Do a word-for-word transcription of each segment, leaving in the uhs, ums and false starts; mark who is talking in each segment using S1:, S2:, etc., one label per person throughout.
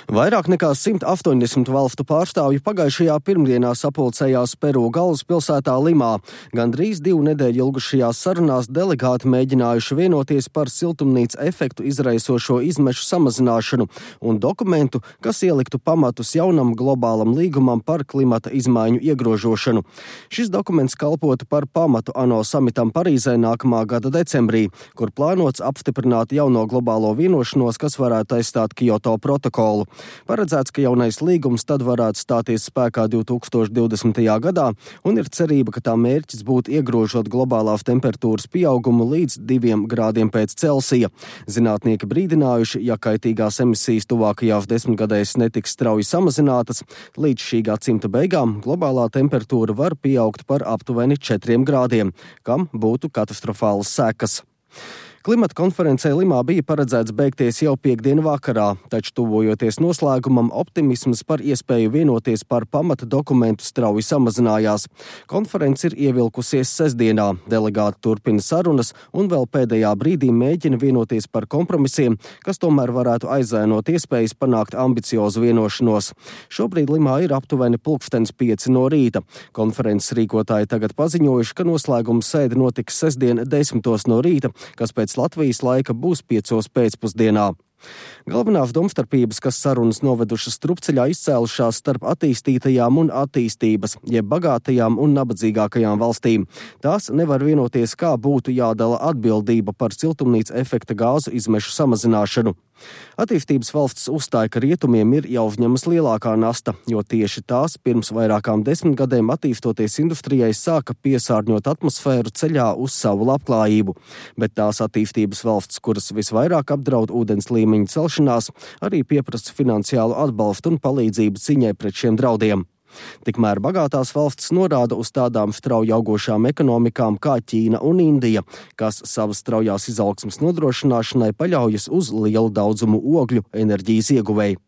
S1: Vairāk nekā simt astoņdesmit valstu pārstāvji pagājušajā pirmdienā sapulcējās Peru galvaspilsētā Limā. Gandrīz divu nedēļu ilgušajās sarunās delegāti mēģinājuši vienoties par siltumnīca efektu izraisošo izmešu samazināšanu un dokumentu, kas ieliktu pamatus jaunam globālam līgumam par klimata izmaiņu iegrožošanu. Šis dokuments kalpotu par pamatu ANO samitam Parīzē nākamā gada decembrī, kur plānots apstiprināt jauno globālo vienošanos, kas varētu aizstāt Kyoto protokolu. Paredzēts, ka jaunais līgums tad varētu stāties spēkā divi tūkstoši divdesmitajā gadā, un ir cerība, ka tā mērķis būtu iegrožot globālās temperatūras pieaugumu līdz diviem grādiem pēc Celsija. Zinātnieki brīdinājuši, ja kaitīgās emisijas tuvākajās desmitgadēs netiks strauji samazinātas, līdz šī gadsimta beigām globālā temperatūra var pieaugt par aptuveni četriem grādiem, kam būtu katastrofālas sekas. Klimata konferencē Limā bija paredzēts beigties jau piekdienu vakarā, taču tuvojoties noslēgumam, optimisms par iespēju vienoties par pamata dokumentu strauji samazinājās. Konference ir ievilkusies sestdienā, delegāti turpina sarunas un vēl pēdējā brīdī mēģina vienoties par kompromisiem, kas tomēr varētu aizēnot iespējas panākt ambiciozu vienošanos. Šobrīd Limā ir aptuveni pulkstens pieci no rīta. Konferences rīkotāji tagad paziņojuši, ka noslēguma sēde notiks sestdien desmitos no rīta, kas pēc Latvijas laika būs piecos pēcpusdienā. Galvenās domstarpības, kas sarunas novedušas strupceļā, izcēlušās starp attīstītajām un attīstības, jeb bagātajām un nabadzīgākajām valstīm. Tās nevar vienoties, kā būtu jādala atbildība par siltumnīca efekta gāzu izmešu samazināšanu. Attīstības valsts uzstāja, ka rietumiem ir jāuzņemas lielākā nasta, jo tieši tās pirms vairākām desmitgadēm attīstoties industrijai sāka piesārņot atmosfēru ceļā uz savu labklājību. Bet tās attīstības valsts, kuras visvairāk apdraud ūdens līmeņa celšanās, arī pieprasa finansiālu atbalstu un palīdzību cīņai pret šiem draudiem. Tikmēr bagātās valstis norāda uz tādām strauji augošām ekonomikām kā Ķīna un Indija, kas savas straujās izaugsmes nodrošināšanai paļaujas uz lielu daudzumu ogļu enerģijas ieguvēju.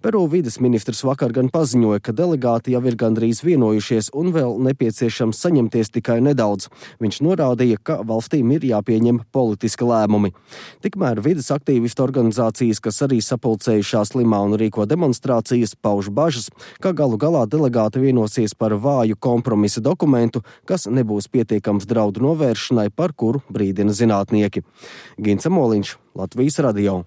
S1: Peru vides ministrs vakar gan paziņoja, ka delegāti jau ir gandrīz vienojušies un vēl nepieciešams saņemties tikai nedaudz. Viņš norādīja, ka valstīm ir jāpieņem politiski lēmumi. Tikmēr vides aktīvistu organizācijas, kas arī sapulcējušās Limā un rīko demonstrācijas, pauž bažas, ka galu galā delegāti vienosies par vāju kompromisa dokumentu, kas nebūs pietiekams draudu novēršanai, par kuru brīdina zinātnieki. Gints Amoliņš, Latvijas radio.